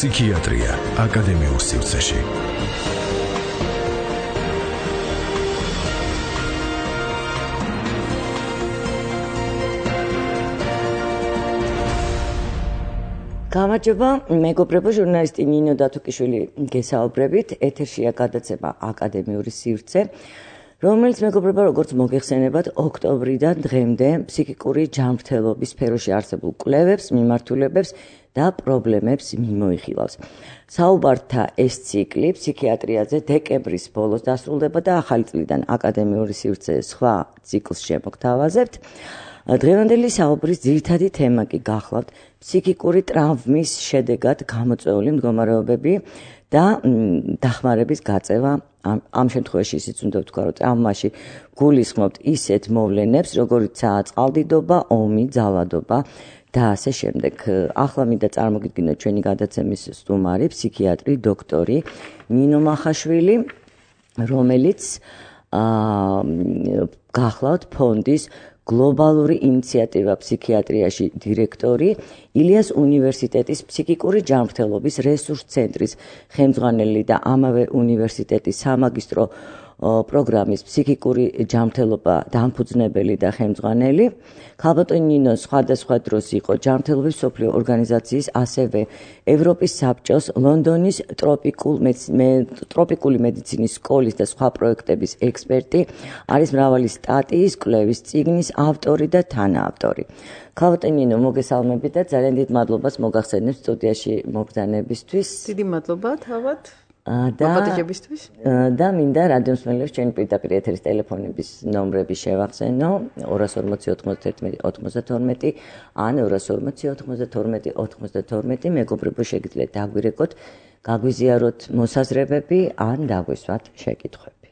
Psichiatria აკადემიურ სივრცეში. გამარჯობა, მეგობრებო, ჟურნალისტი ნინო დათუკიშვილი გესაუბრებით. ეთერშია გადაცემა აკადემიური სივრცე, რომელიც მეგობრებო, როგორც მოგეხსენებათ, ოქტომბრიდან დღემდე ფსიქიკური ჯანმრთელობის სფეროში არსებულ კვლევებს, მიმართულებებს და პრობლემებს მიმოიხილავს. საუბართა ეს ციკლი ფსიქიატრიაზე დეკემბრის ბოლოს დასრულდება და ახალი წლიდან აკადემიური სივრცე სხვა ციკლს შემოგთავაზებთ. დღევანდელი საუბრის ძირითადი თემა კი გახლავთ ფსიქიკური ტრავმის შედეგად გამოწვეული მდგომარეობები და დახმარების გაწევა. ამ შემთხვევაში ისიც უნდა ვთქვა, რომ ტრავმაში გულისხმობთ ისეთ მოვლენებს, როგორიცაა წყალდიდობა, ომი, ძალადობა და ასე შემდეგ. ახლა მინდა წარმოგიდგინოთ ჩვენი გადაცემის სტუმარი, ფსიქიატრი, დოქტორი ნინო მახაშვილი, რომელიც გახლავთ ფონდის გლობალური ინიციატივა ფსიქიატრიაში დირექტორი, ილიას უნივერსიტეტის ფსიქიკური ჯანმრთელობის რესურს ცენტრის ხელმძღვანელი და ამავე უნივერსიტეტის სამაგისტრო პროგრამის ფსიქიკური ჯანმრთელობა დამფუძნებელი და ხელმძღვანელი. ქალბატონი ნინო სხვადასხვა დროს იყო ჯანმრთელობის მსოფლიო ორგანიზაციის, ასევე ევროპის საბჭოს, ლონდონის ტროპიკული მედიცინის სკოლის და სხვა პროექტების ექსპერტი, არის მრავალი სტატიის, კვლევის წიგნის ავტორი და თანაავტორი. ქალბატონი ნინო, მოგესალმებით და ძალიან დიდ მადლობას მოგახსენებთ სტუდიაში მოგზაურობისთვის. დიდი მადლობა თავად. და მინდა რადიო მსმენელებს ჩვენი პირდაპირ ეთერის ტელეფონების ნომრები შევახსენო 240-91-92 ან 240-92-92. მეგობრებო, შეგიძლიათ დაგვირეკოთ, გაგვიზიაროთ მოსაზრებები ან დაგვისვათ შეკითხვები.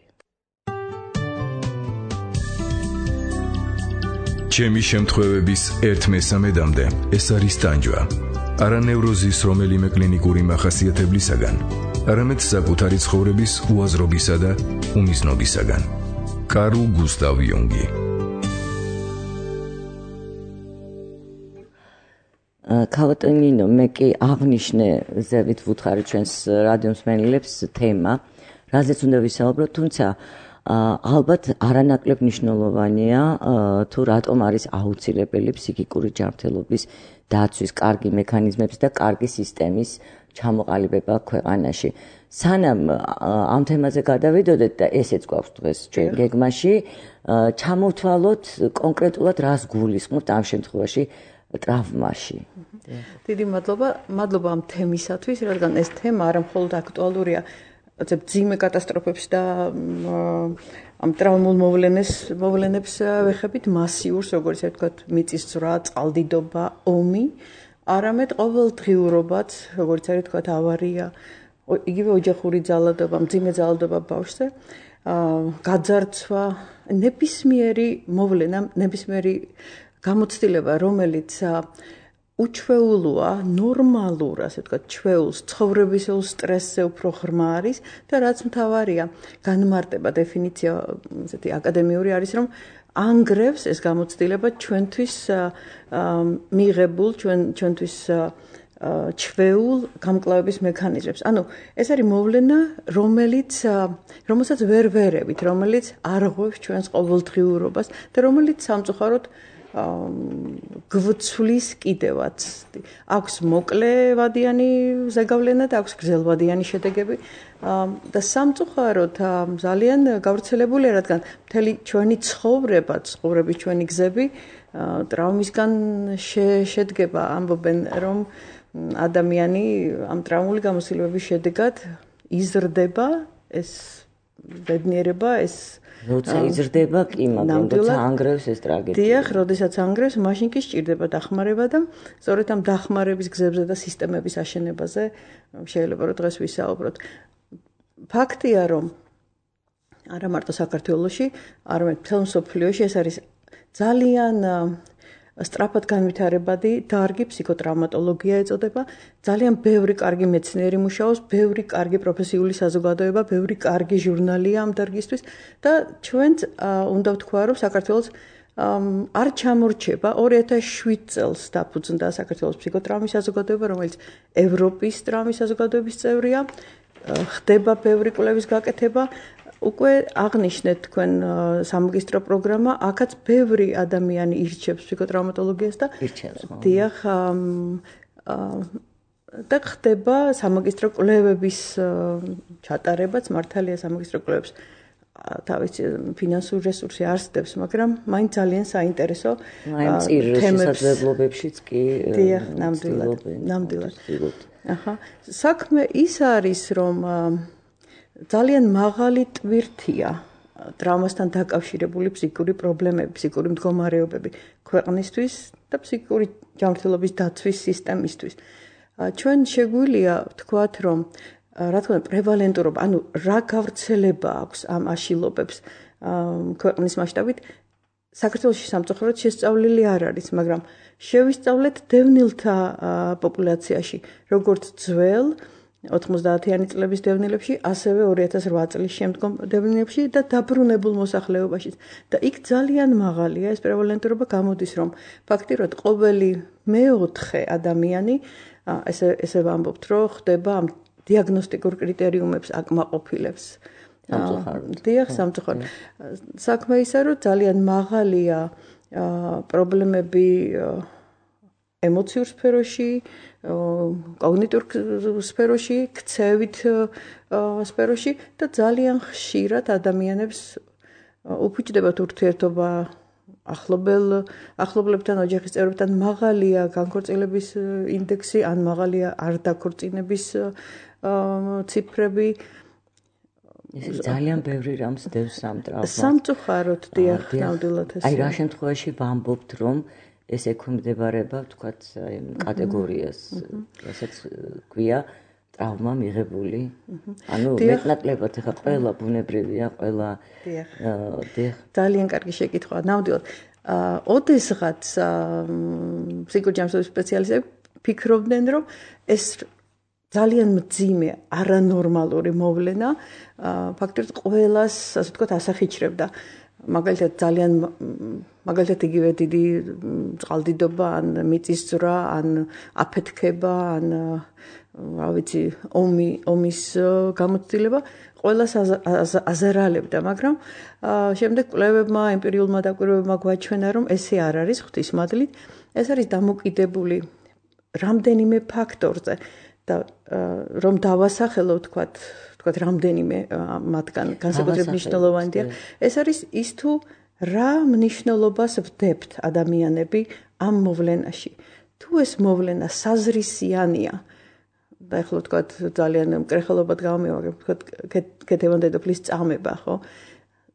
ჩემი შემთხვევების 1/3-მდე ეს არის ტანჯვა. არა ნევროზის რომელიმე კლინიკური მახასიათებლისაგან, არამედ საკუთარი ცხოვრების უაზრობისა და უმიზნობისაგან. კარლ გუსტავ იუნგი. ქალბატონი ნინო, მე კი აღნიშნე ზევით ვუთხარი ჩვენს რადიო მსმენელებს თემა, რაზეც უნდა ვისაუბროთ, თუმცა ალბათ არანაკლებ მნიშვნელოვანია თუ რატომ არის აუცილებელი ფსიქიკური ჯანმრთელობის დაცვის კარგი მექანიზმების და კარგი სისტემის ჩამოყალიბება ქვეყანაში. სანამ ამ თემაზე გადავიდოდეთ და ესეც გვაქვს დღეს ჩვენ გეგმაში, ჩამოვთვალოთ კონკრეტულად რას გულისხმობთ ამ შემთხვევაში ტრავმაში. დიდი მადლობა ამ თემისათვის, რადგან ეს თემა არა მხოლოდ აქტუალურია ძიმე კატასტროფებს და ამ ტრავმულ მოვლენებს ვეხებით მასიურს, როგორც ვთქვათ, მიწისძვრა, წყალდიდობა, ომი, არამედ ყოველდღიურობაც, როგორც არის ვთქვათ, ავარია, იგივე ოჯახური ძალადობა, მძიმე ძალადობა ბავშვზე, გაძარცვა, ნებისმიერი მოვლენა, ნებისმიერი გამოცდილება, რომელიც უჩვეულოა, ნორმალურ, ასე ვთქვათ, ჩვეულს, ცხოვრებისეულ სტრესზე უფრო ღრმა არის და რაც მთავარია, განმარტება დეფინიცია, ესეთი აკადემიური არის, რომ ანგრევს ეს გამოცდილება ჩვენთვის მიღებულ, ჩვენთვის ჩვეულ გამკლავების მექანიზმებს. ანუ ეს არის მოვლენა, რომელსაც ვერ ვერევით, რომელიც არღვევს ჩვენს ყოველდღიურობას და რომელიც სამწუხაროდ გვცვლის კიდევაც. აქვს მოკლევადიანი ზეგავლენა და აქვს გრძელვადიანი შედეგები და სამწუხაროდ ძალიან გავრცელებულია, რადგან მთელი ჩვენი ცხოვრების ჩვენი გზები ტრავმისგან შედგება. ამბობენ, რომ ადამიანი ამ ტრავმული გამოცდილებების შედეგად იზრდება, ეს ბედნიერება, ეს როცა იზრდება კი, მაგრამ როცა ანგრევს ეს ტრაგედია. დიახ, როდესაც ანგრევს, მაშინ კი სჭირდება დახმარება და სწორედ ამ დახმარების გზებზე და სისტემების აშენებაზე შეიძლება რომ დღეს ვისაუბროთ. ფაქტია, რომ არა მარტო საქართველოში, არამედ მთელ მსოფლიოში ეს არის ძალიან სწრაფად განვითარებადი დარგი, ფსიქოტრაუმატოლოგია ეწოდება. ძალიან ბევრი კარგი მეცნიერი მუშაობს, ბევრი კარგი პროფესიული საზოგადოება, ბევრი კარგი ჟურნალია ამ დარგისთვის და ჩვენც უნდა ვთქვა, რომ საქართველოს არ ჩამორჩება 2007 წელს დაფუძნდა საქართველოს ფსიქოტრაუმის საზოგადოება, რომელიც ევროპის ტრაუმის საზოგადოების წევრია, ხდება ბევრი კვლევის გაკეთება. უკვე აღნიშნეთ თქვენ სამაგისტრო პროგრამა, აქაც ბევრი ადამიანი ირჩევს ფსიქოტრაუმატოლოგიას და დიახ და ხდება სამაგისტრო კვლევების ჩატარებაც, მართალია სამაგისტრო კვლევებს თავის ფინანსური რესურსი არ სდევს, მაგრამ მაინც ძალიან საინტერესო თემებშიც კი დიახ, ნამდვილად. აჰა, საქმე ის არის, რომ ძალიან მაღალი ტვირთია ტრავმასთან დაკავშირებული ფსიქიკური პრობლემები, ფსიქიკური მდგომარეობები ქვეყნისთვის და ფსიქიკური ჯანმრთელობის დაცვის სისტემისთვის. ჩვენ შეგვიძლია ვთქვათ, რომ რა თქმა უნდა პრევალენტურობა, ანუ რა გავრცელება აქვს ამ აშილობებს ქვეყნის მასშტაბით, საქართველოში სამწუხაროდ შესწავლილი არ არის, მაგრამ შევისწავლეთ დევნილთა პოპულაციაში, როგორც ძველ 90-იანი წლების დევნილებში, ასევე 2008 წლის შემდგომ დევნილებში და დაბრუნებულ მოსახლეობაში. და იქ ძალიან მაღალია ეს პრევალენტურობა, გამოდის, რომ ფაქტიურად ყოველი მეოთხე ადამიანი, ესე ვამბობთ, რომ ხდება ამ დიაგნოსტიკურ კრიტერიუმებს აკმაყოფილებს. დიახ, სამწუხაროდ. საქმე ისე, რომ ძალიან მაღალია პრობლემები ემოციურ სფეროში, კოგნიტურ სფეროში, ქცევით სფეროში და ძალიან ხშირად ადამიანებს უფუჭდებათ ურთიერთობა ახლობლებთან, ოჯახის წევრებთან, მაღალია განქორწინების ინდექსი, ან მაღალია არ დაქორწინების ციფრები. ეს ძალიან ბევრი რამს დევს ამ ტრავმას. სამწუხაროდ, დიახ, ნამდვილად ეს. აი რა შემთხვევაში ვამბობთ, რომ ეს ექვემდებარება, ვთქვათ, კატეგორიას, რასაც ქვია ტრავმა მიღებული. ანუ მეტნაკლებად ახლა ყველა ბუნებრივია, ყველა დიახ. ძალიან კარგი შეკითხვა, ნამდვილად. ოდესღაც ფსიქოჯანმრთელობის სპეციალისტები ფიქრობდნენ, რომ ეს ძალიან მძიმე, არანორმალური მოვლენა ფაქტობრივად ყველას, ასე ვთქვათ, ასახიჩრებდა. მაგალითად იგივე დიდი წყალდიდობა, ან მიწისძვრა, ან აფეთქება, ან რა ვიცი, ომის გამოცდილება ყველას აზარალებდა, მაგრამ შემდეგ კვლევებმა, ემპირიულმა დაკვირვებებმა გვაჩვენა, რომ ესე არ არის ღვთისმადლით, ეს არის დამოკიდებული რამდენიმე ფაქტორზე და რომ დავასახელო, ვთქვათ, რამდენიმე მათგან განსაკუთრებით მნიშვნელოვანია. ეს არის ის თუ რა მნიშვნელობას ვდებთ ადამიანები ამ მოვლენაში. თუ ეს მოვლენა საზრისიანია და ეხლა ვთქვათ ძალიან მკრეხელობად გამომივაგებ, ვთქვათ ქეთევან დედოფლის წამება, ხო?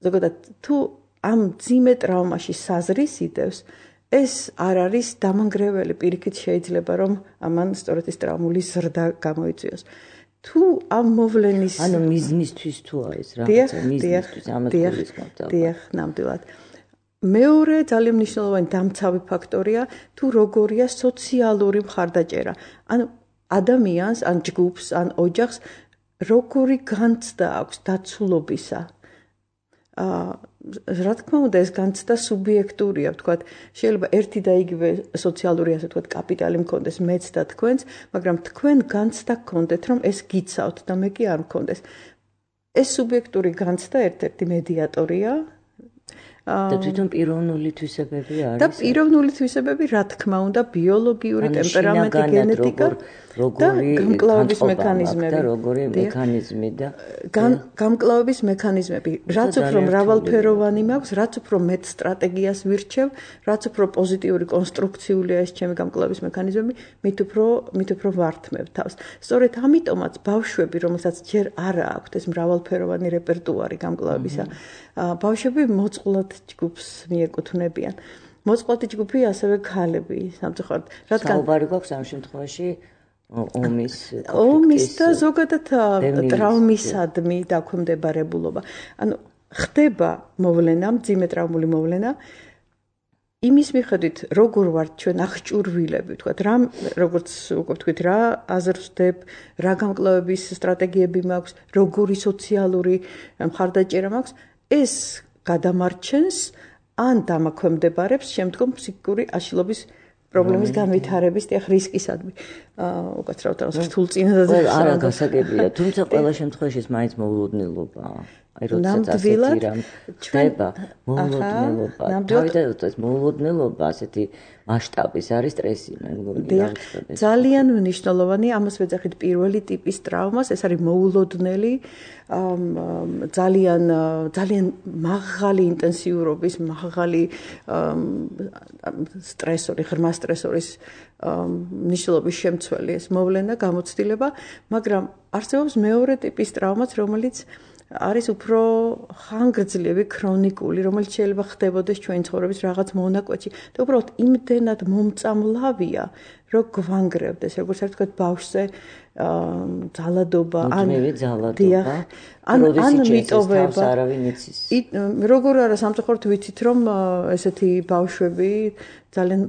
ზოგადად თუ ამ ძიმე ტრავმაში საზრისიდევს, ეს არ არის დამანგრეველი, პირიქით შეიძლება რომ ამან სწორედ ეს ტრავმული ზრდა გამოიწვიოს. თუ ამ მოვლენის ანუ მიზნისთვის თუ არის რაღაცა მიზნისთვის ამას გულისხმობთ. დიახ, ნამდვილად. მეორე ძალიან მნიშვნელოვანი დამცავი ფაქტორია თუ როგორია სოციალური მხარდაჭერა. ანუ ადამიანს, ან ჯგუფს, ან ოჯახს როგორი განცდა აქვს დაცულობისა. რა თქმა უნდა, ეს განცდა სუბიექტურია, ვთქვათ, შეიძლება ერთი და იგივე სოციალური, ასე ვთქვათ, კაპიტალი მქონდეს მეც და თქვენს, მაგრამ თქვენ განცდა გქონდეთ, რომ ეს გიცავთ და მე კი არ მქონდეს. ეს სუბიექტური განცდა ერთ-ერთი მედიატორია. და თვითონ პიროვნული თვისებები არის. და პიროვნული თვისებები, რა თქმა უნდა, ბიოლოგიური ტემპერამენტი, გენეტიკა და გამკლავების მექანიზმები. და როგორი მექანიზმი და გამკლავების მექანიზმები. რაც უფრო მრავალფეროვანი მაქვს, რაც უფრო მეტ სტრატეგიას ვირჩევ, რაც უფრო პოზიტიური კონსტრუქციულია ეს ჩემი გამკლავების მექანიზმები, მით უფრო ვართმევ თავს. სწორედ ამიტომაც ბავშვები, რომელსაც ჯერ არ აქვთ ეს მრავალფეროვანი რეპერტუარი გამკლავებისა, ბავშვები მოწყვლად ჯგუფს მიეკუთვნებიან. მოწყვლადი ჯგუფი ასევე ქალები, სამწუხაროდ. რადგან საუბარი გვაქვს ამ შემთხვევაში ომის და ზოგადად ტრავმისადმი დაქვემდებარებულობა. ანუ ხდება მოვლენა, მძიმე ტრავმული მოვლენა, იმის მიხედვით, როგორ ვართ ჩვენ აღჭურვილები, ვთქვათ, როგორც უკვე ვთქვით, რა აზრს ვდებ, რა გამკლავების სტრატეგიები მაქვს, როგორი სოციალური მხარდაჭერა მაქვს, ეს გადამარჩენს ან დამაქვემდებარებს შემდგომ ფსიქიკური აშლილობის პრობლემის განვითარების რისკისადმი. უკაცრავად რთულ წინადადებას არა გასაგებია, თუმცა ყველა შემთხვევაში ეს მაინც მოულოდნელობაა. აი როდესაც ასეთი რამ ხდება, მოულოდნელობა. თავიდან ეს მოულოდნელობა ასეთი მასშტაბის არის სტრესი, მე მგონი. ძალიან მნიშვნელოვანი ამას ვეძახით პირველი ტიპის ტრავმას, ეს არის მოულოდნელი, ძალიან მაღალი ინტენსიურობის, მაღალი სტრესორი, ღრმა სტრესორის მნიშვნელობის შემცველი ეს მოვლენა, გამოცდილება, მაგრამ არსებობს მეორე ტიპის ტრავმაც, რომელიც არის უფრო ხანგრძლივი, ქრონიკული, რომელიც შეიძლება ხდებოდეს ჩვენი ცხოვრების რაღაც მონაკვეთში და უბრალოდ იმდენად მომწამლავია, რომ გვანგრევდეს, როგორც არ ვთქვათ, ბავშვზე ძალადობა, ან მიტოვება. როგორ არა სამწუხაროდ ვიცით, რომ ესეთი ბავშვები ძალიან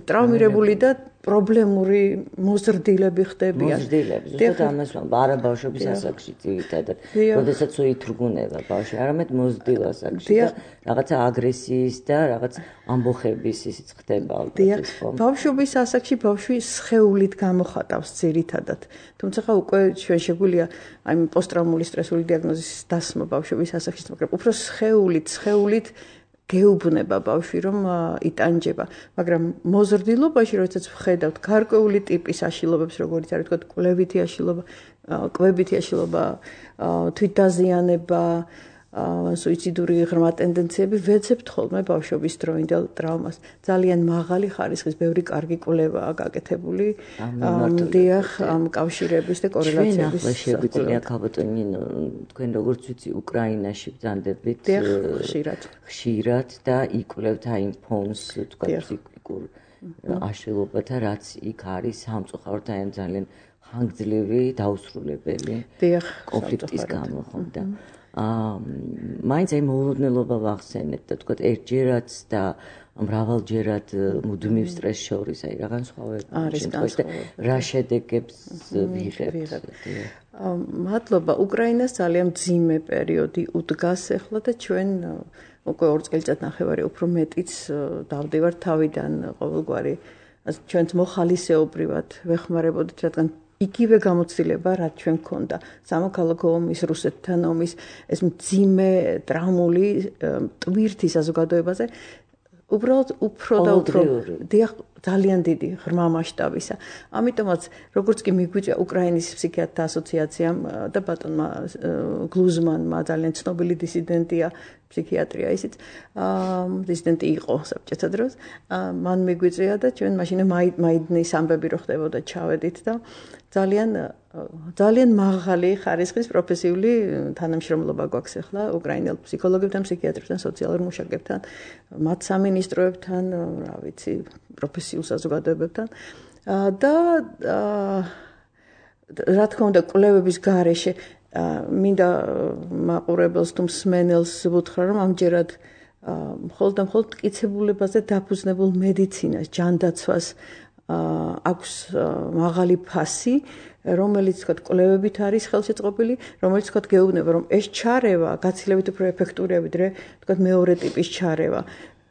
ტრავმირებული და პრობლემური მოზრდილები ხდებიან. ზუსტად ამას არა ბავშვების ასაკში ძირითადად. როდესაც უითრგუნება ბავშვი, არამედ მოზრდილ ასაკში და რაღაცა აგრესიის და რაღაც ამბოხების ისიც ხდება ალბათ. ბავშვობის ასაკში ბავშვი სხეულით გამოხატავს ძირითადად. თუმცა უკვე ჩვენ შეგვიძლია აი პოსტტრაუმული სტრესული დიაგნოზის დასმა ბავშვობის ასაკში, მაგრამ უფრო სხეულით გეუბნება ბავშვი რომ იტანჯება, მაგრამ მოზრდილობაში როდესაც ვხედავთ გარკვეული ტიპის აშლილობებს, როგორც არის თქო კვლევითი აშლილობა, კვებითი აშლილობა, თვითდაზიანება, სუიციდური ღრმა ტენდენციები, ვეცებთ ხოლმე ბავშვობის დროინდელ ტრავმას. ძალიან მაღალი ხარისხის, ბევრი კარგი კვლევაა გაკეთებული ამ კავშირების და კორელაციების. ჩვენ შეგვიძლია ქალბატონი თქვენ როგორც ვიცი უკრაინაში ბრძანდებით ხშირად და იკვლევთ აი ფონს თქვა ფსიქიკურ აშლილობათა რაც იქ არის სამწუხაროდ აი ძალიან ხანგრძლივი დაუსრულებელი კონფლიქტის გამო ხომ და მაინც აი მოულოდნელობა ვახსენეთ და თქვა ერთჯერაც და მრავალჯერად მუდმივ სტრესს შორის აი რაღაც სხვავები არის რა შედეგებს ვიღებთ. მადლობა. უკრაინას ძალიან მძიმე პერიოდი უდგას ახლა და ჩვენ უკვე 2 წელიწადნახევარი უფრო მეტიც დავდივართ თავიდან ყოველგვარი ჩვენც მოხალისეობრივად ვეხმარებოდით, რადგან იგივე გამოცდილება, რაც ჩვენ გქონდა სამოქალაქო ომის, რუსეთთან ომის, ეს მძიმე ტრაუმული ტვირთი საზოგადოებაზე უბრალოდ უფრო და უფრო ძალიან დიდი ღრმა მასშტაბისა. ამიტომაც როგორც კი მიგვიწვია უკრაინის ფსიქიატრთა ასოციაციამ და ბატონმა გლუზმანმა ძალიან ცნობილი დისიდენტია ფსიქიატრია ისიც დისიდენტი იყო საბჭოთა დროს მან მიგვიწვია და ჩვენ მაშინ მაიდნის ამბები რო ხდებოდა ჩავედით და ძალიან მაღალი ხარისხის პროფესიული თანამშრომლობა გვაქვს ახლა უკრაინელ ფსიქოლოგებთან, ფსიქიატრებთან, სოციალურ მუშაკებთან, მათ სამინისტროებთან, რა ვიცი, პროფესიულ საზოგადოებებთან და რა თქმა უნდა კვლევების გარეშე მინდა მაყურებელს თუ მსმენელს ვუთხრა რომ ამჯერად მხოლოდ და მხოლოდ მტკიცებულებაზე დაფუძნებულ მედიცინას, ჯანდაცვას აქვს მაღალი ფასი, რომელიც თქვა კვლევებით არის ხელშეწყობილი, რომელიც თქვა გეუბნება რომ ეს ჩარევა გაცილებით უფრო ეფექტურია ვიდრე თქვა მეორე ტიპის ჩარევა.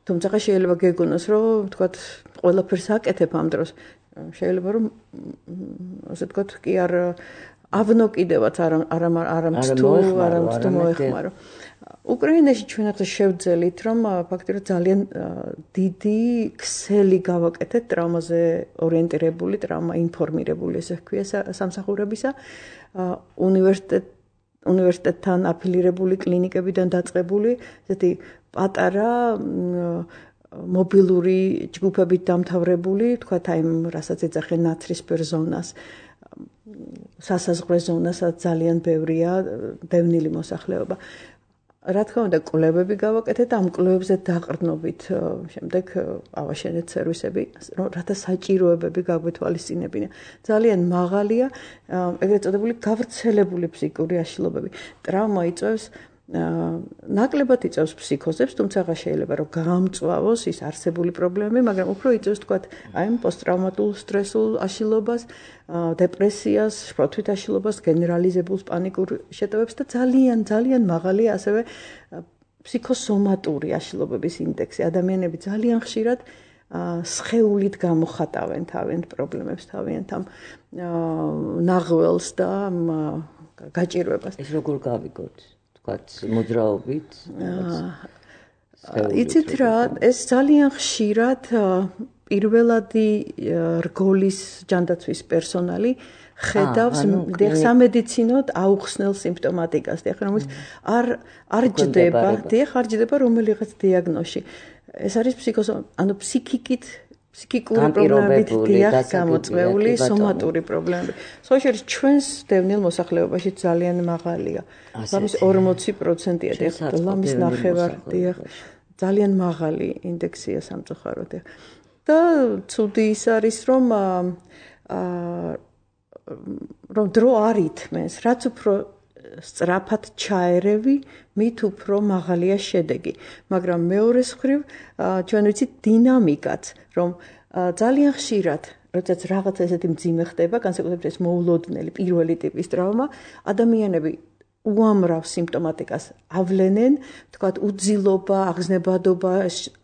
თუმცა შეიძლება გეგონოს რომ თქვა ყველაფერს აკეთებ ამ დროს. შეიძლება რომ ასე თქვა კი ავნო კიდევაც არამც თუ მოეხმარო. უკრაინაში ჩვენ ახლა შევძელით რომ ფაქტობრივად ძალიან დიდი ქსელი გავაკეთეთ ტრავმაზე ორიენტირებული, ტრავმა ინფორმირებული ესე ვქვია სამსახურებისა უნივერსიტეტთან აფილირებული კლინიკებიდან დაწყებული ესეთი პატარა მობილური ჯგუფებით დამთავრებული, თქვათ აი რასაც ეძახენ ნაცრისფერ ზონას სასაზღვრო ზონასაც ძალიან ბევრია დევნილი მოსახლეობა. რა თქმა უნდა კვლევები გავაკეთეთ და ამ კვლევებზე დაყრდნობით შემდეგ ავაშენეთ სერვისები, რათა საჭიროებები გაგვეთვალისწინებინა. ძალიან მაღალია ეგრეთ წოდებული გავრცელებული ფსიქიკური აშლილობები. ტრავმა იწვევს ნაკლებად იწვევს ფსიქოზებს, თუმცა შეიძლება რომ გაამწვავოს ის არსებული პრობლემები, მაგრამ უფრო იწვევს თქვათ აი პოსტტრაუმატულ სტრესულ აშლილობას, დეპრესიას, შფოთვით აშლილობას, გენერალიზებულ პანიკურ შეტევებს და ძალიან მაღალია ასევე ფსიქოსომატური აშლობების ინდექსი. ადამიანები ძალიან ხშირად სხეულით გამოხატავენ თავიანთ პრობლემებს, თავიანთ ამ ნაღველს და გაჭირვებას. ეს როგორ გავიგოთ? თქვათ, მოძრაობით? იცით რა, ეს ძალიან ხშირად პირველადი რგოლის ჯანდაცვის პერსონალი ხედავს სამედიცინოდ აუხსნელ სიმპტომატიკას, რომელიც არ ჯდება რომელიღაც დიაგნოზში. ეს არის ფსიქიკური პრობლემებით გამოწვეული სომატური პრობლემები. სოციალურ ჩვენს დევნილ მოსახლეობაში ძალიან მაღალია. ლამის 40%-ია ლამის ნახევარია. ძალიან მაღალი ინდექსია სამწუხაროდ. და ცუდი ის არის, რომ დრო არ ითმენს, რაც უფრო სწრაფად ჩაერევი, მით უფრო მაღალია შედეგი. მაგრამ მეორეს მხრივ ჩვენ ვიცით დინამიკაც, რომ ძალიან ხშირად, როდესაც რაღაც ესეთი მძიმე ხდება, განსაკუთრებით ეს მოულოდნელი პირველი ტიპის ტრავმა, ადამიანები უამრავ სიმპტომატიკას ავლენენ, თქვათ უძილობა, აღზნებადობა,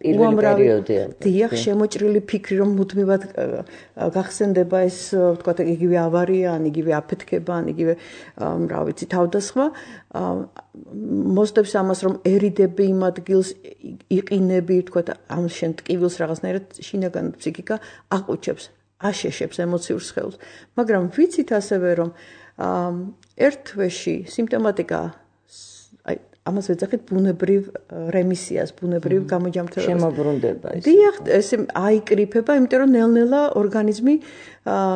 უამრავი დიახ, შემოჭრილი ფიქრი, რომ მუდმივად გახსენდება ეს, თქვათ, იგივე ავარია, ან იგივე აფეთქება, ან იგივე, რა ვიცი, თავდასხმა, მოსდევს ამას, რომ ერიდები იმ ადგილს, იყინები, თქვათ, ამ შენ ტკივილს რაღაცნაირად შინაგან ფსიქიკა აყუჩებს, აშეშებს ემოციურ სხეულს. მაგრამ ვიცით ასევე, რომ ერთ თვეში სიმპტომატიკა ამას ვეძახით ბუნებრივ რემისიას, ბუნებრივ გამოჯამრთელებას. შემოbrunდება ეს. დიახ, ეს აიკრიფება, იმიტომ რომ ნელ-ნელა ორგანიზმი,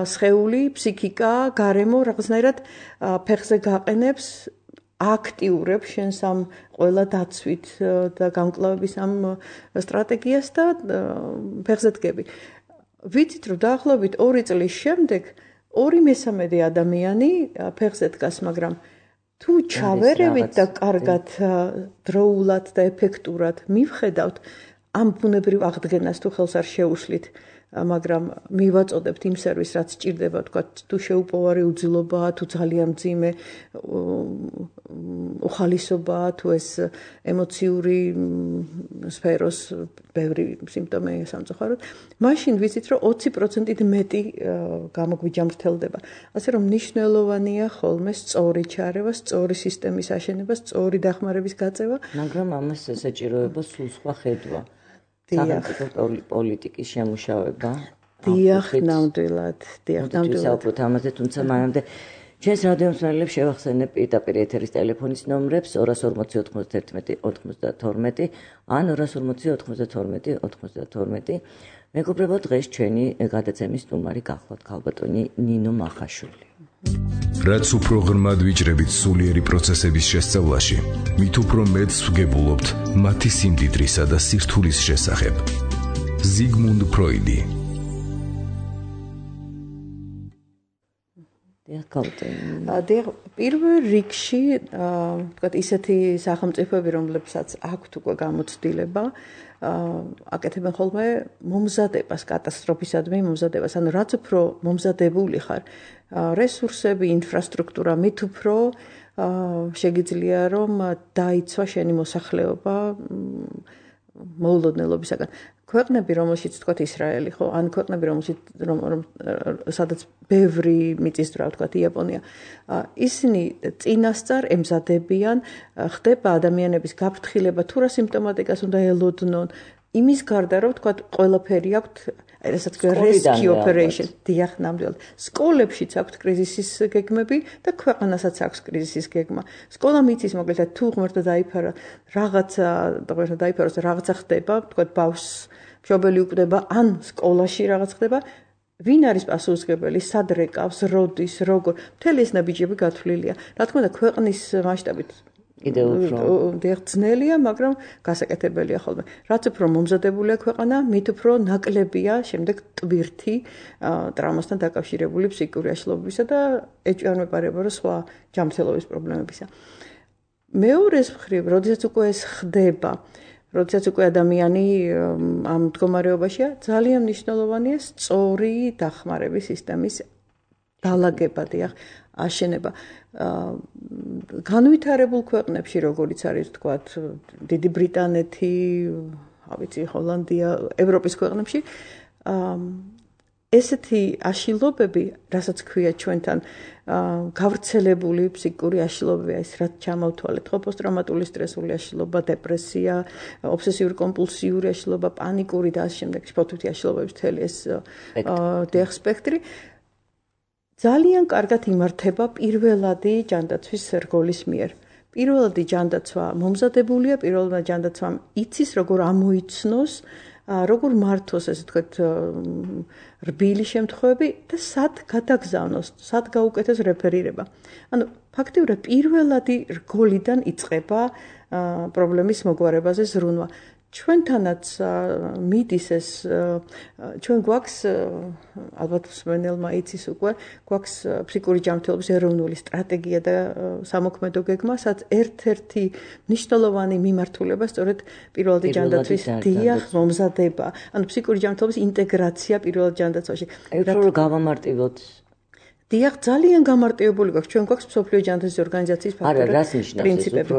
სხეული, ფსიქიკა, გარემო რაღაცნაირად ფეხზე გაყენებს, აქტიურებს შენს ამ ყველა დაცვით და გამკლავების ამ სტრატეგიას და ფეხზე დგები. ვიცით, რომ დაახლოებით 2 წლის შემდეგ 2/3 ადამიანი ფეხზე დგას, მაგრამ თუ ჩავერევით და კარგად დროულად და ეფექტურად მივხედავთ, ამ ბუნებრივ აღდგენას თუ ხელს არ შეუშლით, მაგრამ მივაწოდებთ იმ სერვისს, რაც სჭირდება, თქვა თუ შეუპოვარი უძილობაა, თუ ძალიან მძიმე უხალისობაა, თუ ეს ემოციური სფეროს ბევრი სიმპტომაა სამწუხაროდ, მაშინ ვიცით, რომ 20%-ით მეტი გამოგვიჯამრთელდება. ასე რომ მნიშვნელოვანია ხოლმე სწორი ჩარევა, სწორი სისტემის აშენება, სწორი დახმარების გაწევა, მაგრამ ამას ესაჭიროება სულ სხვა ხედვა. სახელმწიფო პოლიტიკის შემუშავება. დიახ, ნამდვილად, დიახ, ნამდვილად. საუბრობთ ამაზე, თუმცა მანამდე ჩვენს რადიომსმენელებს შევახსენებ პირდაპირ ეთერის ტელეფონის ნომრებს 241-92 ან 240-92-92. მეგობრებო, დღეს ჩვენი გადაცემის სტუმარი გახლავთ ქალბატონი ნინო მახაშვილი. რაც უფრო ღრმად ვიჭრებით სულიერი პროცესების შესწავლაში, მით უფრო მეტს ვგებულობთ მათი სიმდიდრისა და სირთულის შესახებ. ზიგმუნდ ფროიდი. პირველ რიგში, თქვათ, ისეთი სახელმწიფოები, რომლებსაც აქვთ უკვე გამოცდილება, აკეთებენ ხოლმე მომზადებას, კატასტროფისადმი მომზადებას. ანუ რაც უფრო მომზადებული ხარ, რესურსები, ინფრასტრუქტურა, მით უფრო შეგიძლია რომ დაიცვა შენი მოსახლეობა მოულოდნელობისაგან. ქვეყნები, რომელშიც თქვათ ისრაელი, ხო, ან ქვეყნები, რომელშიც სადაც ბევრი მიწისძვრა, თქვათ იაპონია, ისინი წინასწარ ემზადებიან, ხდება ადამიანების გაფრთხილება, თუ რა სიმპტომატიკას უნდა ელოდნონ, იმის გარდა რომ თქვათ ყველაფერი აქვთ, რასაც ქვია rescue operation, დიახ, ნამდვილად. სკოლებშიც აქვთ კრიზისის გეგმები და ქვეყანასაც აქვს კრიზისის გეგმა. სკოლა მიწის მოკლედ თუ ღმერთო დაიფარა, რაღაცა ხდება, თქვათ ბავშვს მშობელი უკვდება, ან სკოლაში რაღაც ხდება, ვინ არის პასუხისმგებელი, სად რეკავს, როდის, როგორ, მთელი ეს ნაბიჯები გათვლილია. რა თქმა უნდა, ქვეყნის მასშტაბით კიდევ უფრო ძნელია, მაგრამ გასაკეთებელია ხოლმე. რაც უფრო მომზადებულია ქვეყანა, მით უფრო ნაკლებია შემდეგ ტვირთი ტრავმასთან დაკავშირებული ფსიქიკური აშლობებისა და ეჭვი არ მეპარება რომ სხვა ჯანმრთელობის პრობლემებისა. მეორეს მხრივ, როდესაც უკვე ეს ხდება, როდესაც უკვე ადამიანი ამ მდგომარეობაშია, ძალიან მნიშვნელოვანია სწორი დახმარების სისტემის დალაგება, დიახ, აშენება. განვითარებულ ქვეყნებში, როგორიც არის თქვათ, დიდი ბრიტანეთი, ავიცი, ჰოლანდია, ევროპის ქვეყნებში, ესეთი აშლილობები, რასაც ქვია ჩვენთან, გავრცელებული ფსიქიკური აშლილობებია, ის რაც ჩამოვთვალეთ, ხო, პოსტტრაუმატული სტრესული აშლილობა, დეპრესია, ობსესიური კომპულსიური აშლილობა, პანიკური და ამ შემდეგ ფოთვითი აშლილობების მთელი ეს სპექტრი ძალიან კარგად იმართება პირველადი ჯანდაცვის რგოლის მიერ. პირველადი ჯანდაცვა მომზადებულია, პირველადი ჯანდაცვამ იცის, როგორ ამოიცნოს, როგორ მართოს, ესე ვთქვათ, რბილი შემთხვევები და სად გადაგზავნოს, სად გაუკეთოს რეფერირება. ანუ ფაქტიურად პირველადი რგოლიდან იწყება პრობლემის მოგვარებაზე ზრუნვა. ჩვენთანაც მიდის ეს ჩვენ გვაქვს ალბათ მსმენელმა იცის უკვე გვაქვს ფსიქიკური ჯანმრთელობის ეროვნული სტრატეგია და სამოქმედო გეგმა, სადაც ერთ-ერთი მნიშვნელოვანი მიმართულება სწორედ პირველადი ჯანდაცვის დიახ მომზადება, ანუ ფსიქიკური ჯანმრთელობის ინტეგრაცია პირველად ჯანდაცვაში. რომ გავამარტივოთ დიახ, ძალიან გამარტივებული გვაქვს. ჩვენ გვაქვს მსოფლიო ჯანდაცვის ორგანიზაციის პრინციპები.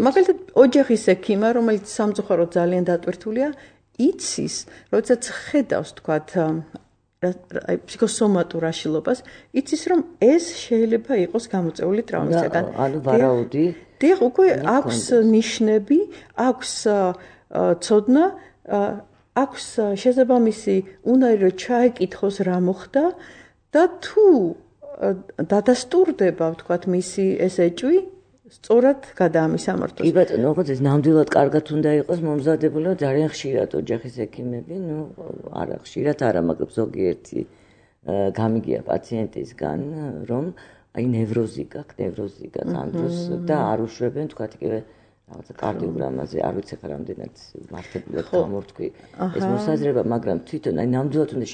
მაგალითად, ოჯახის ექიმა, რომელიც სამწუხაროდ ძალიან დატვირთულია, იცის, როდესაც ხედავს, თქვათ, ფსიქოსომატურ აშლილობას, იცის, რომ ეს შეიძლება იყოს გამოწვეული ტრავმისგან. ანუ ვარაუდი. დიახ, უკვე აქვს ნიშნები, აქვს ცოდნა, აქვს შესაბამისი უნარი, რომ ჩაეკითხოს რა მოხდა. და თუ დადასტურდება, ვთქვათ, მისი ეს ეჭვი, სწორად გადაამისამართოს. კი ბატონო, ოღონდ ეს ნამდვილად კარგად უნდა იყოს მომზადებული, ძალიან ხშირად ოჯახის ექიმები, არა ხშირად არა, მაგრამ ზოგიერთი გამიგია პაციენტისგან, რომ აი ნევროზი გაქვს ამ დროს და არ უშვებენ, ვთქვათ, იგივე რაღაცა კარდიოგრამაზე, არ ვიცი ხა რამდენად მართებულად გამორთქვი ეს მოსაზრება, მაგრამ თვითონ აი ნამდვილად უნდა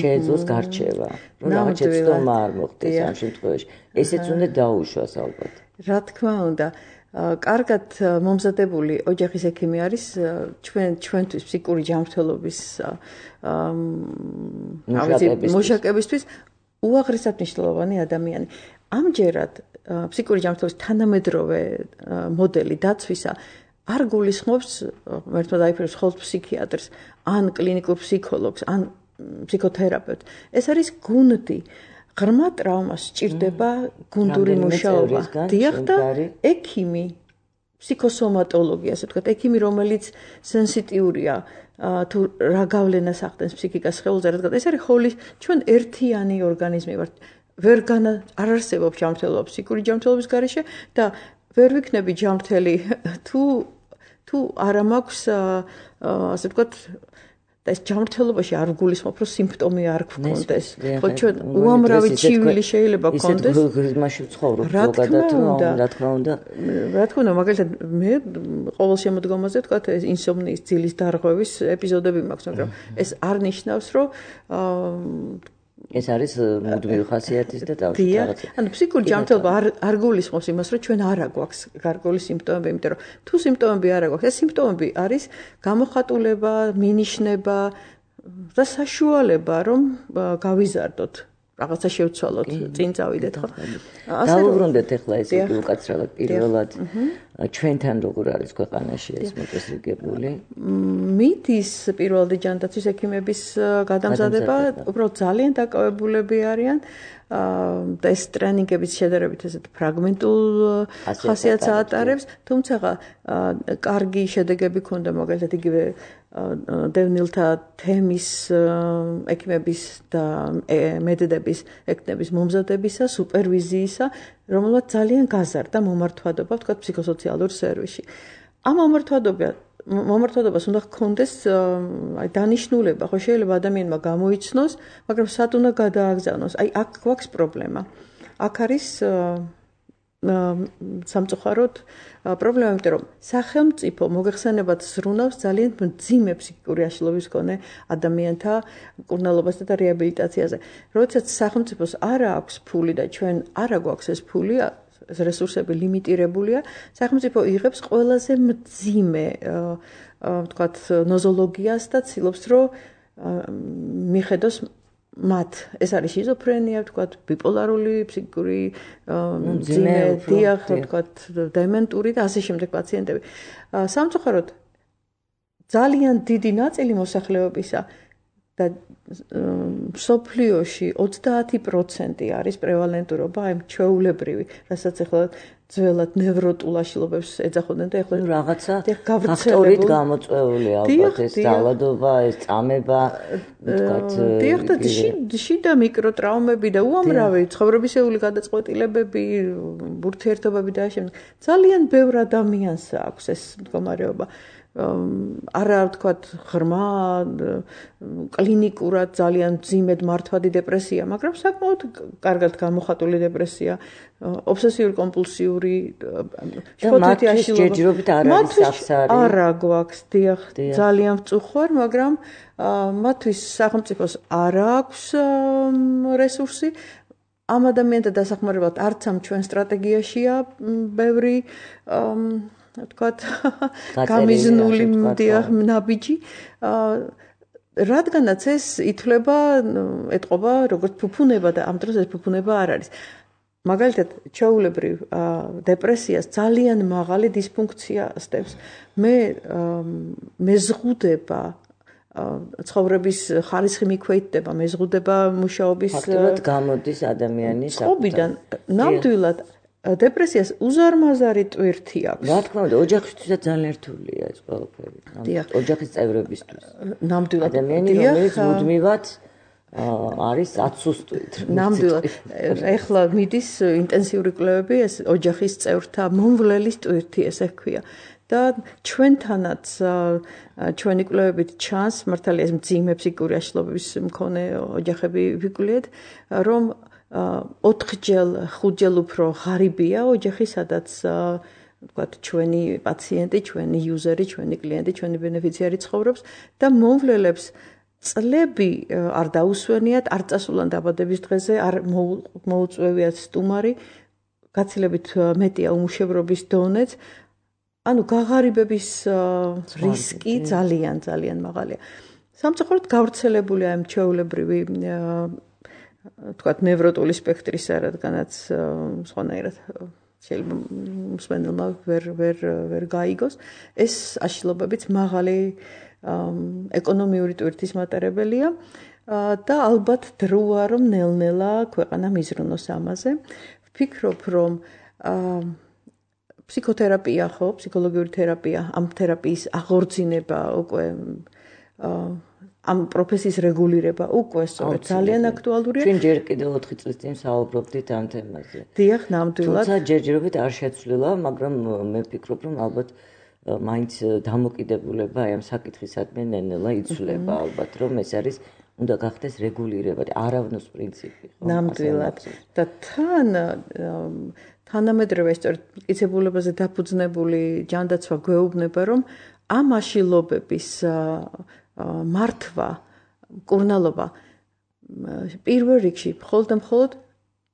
შეეძლოს გარჩევა, რომ რაღაც შეცდომა არ მოხდეს ამ შემთხვევაში. ესეც უნდა დაუშვას ალბათ. რა თქმა უნდა, კარგად მომზადებული ოჯახის ექიმი არის ჩვენთვის ფსიქიკური ჯანმრთელობის მუშაკებისთვის უაღრესად მნიშვნელოვანი ადამიანი. ამჯერად ფსიქიკური ჯანმრთელობის თანამედროვე მოდელი დაცვისა არ გულისხმობს ერთად აიფერებს მხოლოდ ფსიქიატრს, ან კლინიკურ ფსიქოლოგს, ან ფსიქოთერაპევტს. ეს არის გუნდი. ღრმა ტრავმას სჭირდება გუნდური მუშაობა. დიახ და ექიმი, ფსიქოსომატოლოგი, ასე ვთქვათ, ექიმი, რომელიც სენსიტიურია თუ რა გავლენას ახდენს ფსიქიკას სხეულზე, რადგან ეს არის ხოლმე ჩვენ ერთიანი ორგანიზმი ვართ. არ არსებობს ჯანმრთელობა ფსიქიკური ჯანმრთელობის გარეშე და ვერ ვიქნები ჯანმრთელი თუ არა მაქვს ასე ვთქვათ და ეს ჯანმრთელობაში არ გულისხმობ, რომ სიმპტომი არ გქონდეს. ხო, ჩვენ უამრავი ჩივილი შეიძლება გქონდეს. ისეთ მასში ვცხოვრობ ზოგადად, რა თქმა უნდა. რა თქმა უნდა, მაგალითად მე ყოველ შემოდგომაზე ვთქვათ, ეს ინსომნიის ძილის დარღვევის ეპიზოდები მაქვს, მაგრამ ეს არ ნიშნავს, რომ ეს არის მუდმივი ხასიათის და თავში რაღაც. ანუ ფსიქიკური ჯანმრთელობა არ გულისხმობს იმას, რომ ჩვენ არა გვაქვს გარკვეული სიმპტომები, იმიტომ რომ თუ სიმპტომები არა გვაქვს, ეს სიმპტომები არის გამოხატულება, მინიშნება და საშუალება, რომ გავიზარდოთ, რაღაცა შევცვალოთ, წინ წავიდეთ, ხო? დავუბრუნდეთ ახლა ეს უკაცრიელად პირველად ჩვენთან როგორ არის ქვეყანაში ეს მოწესრიგებული? მიდის პირველადი ჯანდაცვის ექიმების გადამზადება, უბრალოდ ძალიან დაკავებულები არიან და ეს ტრენინგების შედარებით ესეთ ფრაგმენტულ ხასიათს ატარებს, თუმცა კარგი შედეგები ქონდა მაგალითად იგივე დევნილთა თემის ექიმების და მედედების ექიმების მომზადებისა, სუპერვიზიისა, რომელმაც ძალიან გაზარდა მომართვადობა, ვთქვათ, ფსიქოსოციალურ სერვისში. ამ მომართვადობას უნდა ჰქონდეს აი დანიშნულება, ხო შეიძლება ადამიანმა გამოიცნოს, მაგრამ სად უნდა გადააგზავნოს. აი აქ გვაქვს პრობლემა. აქ არის სამწუხაროდ პრობლემა, იმიტომ რომ სახელმწიფო მოგეხსენებათ ზრუნავს ძალიან მძიმე ფსიქიკური აშლილობის მქონე ადამიანთა მკურნალობასა და რეაბილიტაციაზე. როდესაც სახელმწიფოს არა აქვს ფული და ჩვენ არა გვაქვს ეს ფული, ეს რესურსები ლიმიტირებულია, სახელმწიფო იღებს ყველაზე მძიმე, ვთქვათ, ნოზოლოგიას და ცდილობს, რომ მიხედოს მათ ეს არის შიზოფრენია, ვთქვათ, ბიპოლარული, ფსიქიკური ძიმე, დიახ, ვთქვათ, დემენტური და ასე შემდეგ პაციენტები. სამწუხაროდ ძალიან დიდი ნაწილი მოსახლეობისა და სოფლიოში 30% არის პრევალენტურობა, აი ჩვეულებრივი, რასაც ახლა ძველად ნევროტულაშილობებს ეძახოდნენ და ახლა რაღაცა ფაქტორით გამოწვეული ალბათ ეს ძალადობა, ეს წამება, ვთქვათ, დიახ და შიდა მიკროტრაუმები და უამრავი ცხოვრებისეული გადაწყვეტილებები, ურთიერთობები და ასე. ძალიან ბევრ ადამიანს აქვს ეს მდგომარეობა. არა ვთქვათ ღრმა კლინიკურად ძალიან ძიმედ მართვადი დეპრესია, მაგრამ საკმაოდ კარგად გამოხატული დეპრესია, ობსესიური კომპულსიური შფოთვითი აშლილობა. მათთვის არა გვაქვს, დიახ, ძალიან ვწუხარ, მაგრამ მათთვის სახელმწიფოს არ აქვს რესურსი. ამ ადამიანთა დასახმარებლად არც ამ ჩვენ სტრატეგიაშია ბევრი ვთქვათ, გამიზნული ნაბიჯი, რადგანაც ეს ითვლება, ეტყობა როგორც ფუფუნება და ამ დროს ეს ფუფუნება არ არის. მაგალითად, ჩვეულებრივ დეპრესიას ძალიან მაღალი დისფუნქცია ასდევს. მეზღუდება ცხოვრების ხარისხი მიქვეითდება, მეზღუდება მუშაობის ფაქტობრივად გამოდის ადამიანის წყობიდან. ნამდვილად დეპრესიას უზარმაზარი ტვირთი აქვს. რა თქმა უნდა, ოჯახისთვისაც ძალიან რთულია ეს ყველაფერი. ოჯახის წევრებისთვის. ნამდვილად ადამიანი, რომელიც მუდმივად არის აცუსტვით. ნამდვილად. ეხლა მიდის ინტენსიური კვლევები ეს ოჯახის წევრთა მომვლელის ტვირთი ესე ქვია. და ჩვენთანაც ჩვენი კვლევებით ჩანს, მართალია ეს მძიმე ფსიქიკური აშლილობის მქონე ოჯახები ვიკვლიეთ, რომ 4-ჯერ, 5-ჯერ უფრო ღარიბია ოჯახი, სადაც ვთქვათ, ჩვენი პაციენტი, ჩვენი იუზერი, ჩვენი კლიენტი, ჩვენი ბენეფიციარი ცხოვრობს და მომვლელებს წლები არ დაუსვენიათ, არ წასულან დაბადების დღეზე, არ მოუწვევიათ სტუმარი, გაცილებით მეტია უმუშევრობის დონეც. ანუ გაღარიბების რისკი ძალიან ძალიან მაღალია. სამწუხაროდ გავრცელებულია ამ ჩვეულებრივი ვთქვათ, ნევროტული სპექტრისა, რადგანაც სხვანაირად შეიძლება მსმენელმა ვერ გაიგოს, ეს აშლილობებიც მაღალი ეკონომიური ტვირთის მატარებელია და ალბათ დროა რომ ნელ-ნელა ქვეყანა მიზრუნოს ამაზე. ვფიქრობ, რომ ფსიქოთერაპია ხო, ფსიქოლოგიური თერაპია, ამ თერაპიის აღორძინება უკვე ამ პროფესიის რეგულირება უკვე სწორედ ძალიან აქტუალურია. ჩვენ ჯერ კიდევ 4 წლის წინ საუბრობდით ამ თემაზე. დიახ, ნამდვილად. თუმცა ჯერჯერობით არ შეცვლილა, მაგრამ მე ვფიქრობ, რომ ალბათ მაინც დამოკიდებულება აი ამ საკითხისადმი ნელ-ნელა იცვლება, ალბათ რომ ეს არის უნდა გახდეს რეგულირება, არავნოს პრინციპი, ხო? ნამდვილად. და თანამედროვე სწორედ მტკიცებულებაზე დაფუძნებული ჯანდაცვა გვეუბნება, რომ ამ აშლილობების მართვა, მკურნალობა პირველ რიგში მხოლოდ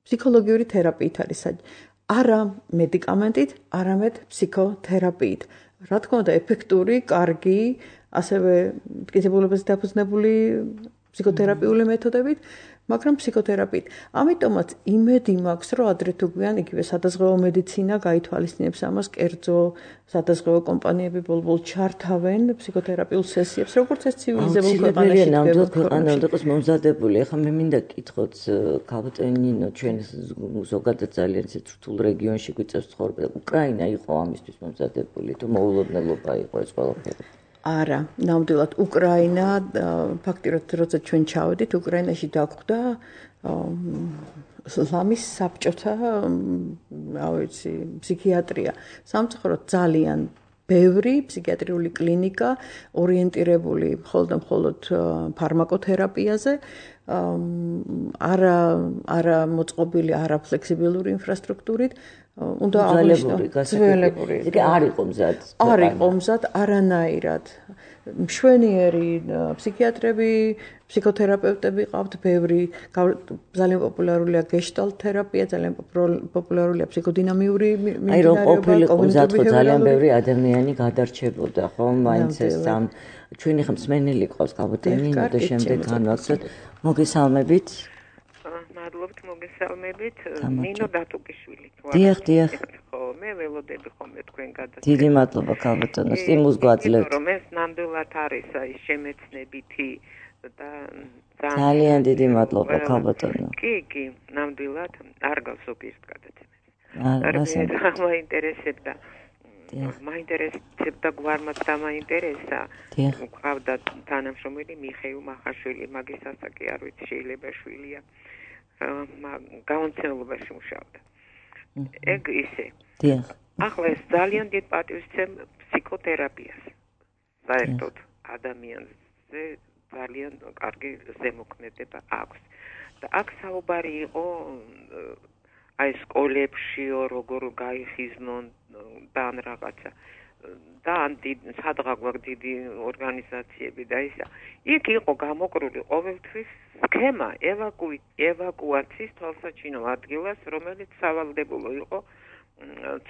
ფსიქოლოგიური თერაპიით არის, არა მედიკამენტით, არამედ ფსიქოთერაპიით. რა თქმა უნდა, ეფექტური, კარგი, ასევე მტკიცებულებაზე დაფუძნებული ფსიქოთერაპიული მეთოდებით, მაგრამ ფსიქოთერაპიით. ამიტომაც იმედი მაქვს, რომ ადრე თუ გვიან იგივე სადაზღვევო მედიცინა გაითვალისწინებს ამას, კერძო სადაზღვევო კომპანიები ბოლო-ბოლო ჩართავენ ფსიქოთერაპიულ სესიებს, როგორც ეს ცივილიზებულ ქვეყანაში ნამდვილად ქვეყანა უნდა იყოს მომზადებული. ახლა მე მინდა კითხოთ, ქალბატონინო, ჩვენ ზოგადად ძალიან რთულ რეგიონში გვიწევს ცხოვრება. უკრაინა იყო ამისთვის მომზადებული, თუ მოულოდნელობა იყო ეს ყველაფერი? არა, ნამდვილად უკრაინა, ფაქტიურად როცა ჩვენ ჩავედით, უკრაინაში დაგვხვდა ლამის საბჭოთა, ფსიქიატრია. სამწუხაროდ ძალიან ბევრი ფსიქიატრიული კლინიკა ორიენტირებული მხოლოდ ფარმაკოთერაპიაზე, არა მოწყობილი, არა ფლექსიბილური ინფრასტრუქტურით, უნდა აღნიშნო ძველებური. იგი არ იყო მზად. არ იყო მზად არანაირად. მშვენიერი ფსიქიატრები, ფსიქოთერაპევტები ყავთ, ბევრი, ძალიან პოპულარულია გეშტალტ თერაპია, ძალიან პოპულარულია ფსიქოდინამიური აი რომ ყოფილიყო მზად ხო ძალიან ბევრი ადამიანი გადარჩებოდა, ხო? მაინც ეს ამ ჩვენი ხმსმენელი ყავს კაბოტენი, და შემდეგ განვახსოთ. მოგესალმებით. მადლობთ მოგესალმებით. ნინო დატუკიშვილი. დიახ. ხო, მე ველოდები ხოლმე თქვენ გადასწრებას. დიდი მადლობა კაბოტონო, სტიმულს გვაძლევთ. რომ ეს ნამდვილად არის აი შემეცნებითი და ძალიან დიდი მადლობა კაბოტონო. კი, ნამდვილად არ გავს ზოგიერთ გადაცემას. მაინტერესებდა. მაინტერესებდა გვარმაც დამაინტერესა. ყავდა თანამშრომელი მიხეილ მახაშვილი, მაგის ასაკი არ ვიცი, შეიძლება შვილია. გაუნცელობაში მუშაობდა. ეგ ისე. დიახ. ახლა ეს ძალიან დიდ პატივისცემ ფსიქოთერაპიას. საერთოდ ადამიანზე ძალიან კარგი ზემოქმედება აქვს. და აქ საუბარი იყო აი სკოლებშიო როგორ გაიხიზნონ და ან რაღაცა. და ან სადღა გვაქვს დიდი ორგანიზაციები და ისა. იქ იყო გამოკრული ყოველთვის სქემა ევაკუაციის თვალსაჩინო ადგილას, რომელიც სავალდებულო იყო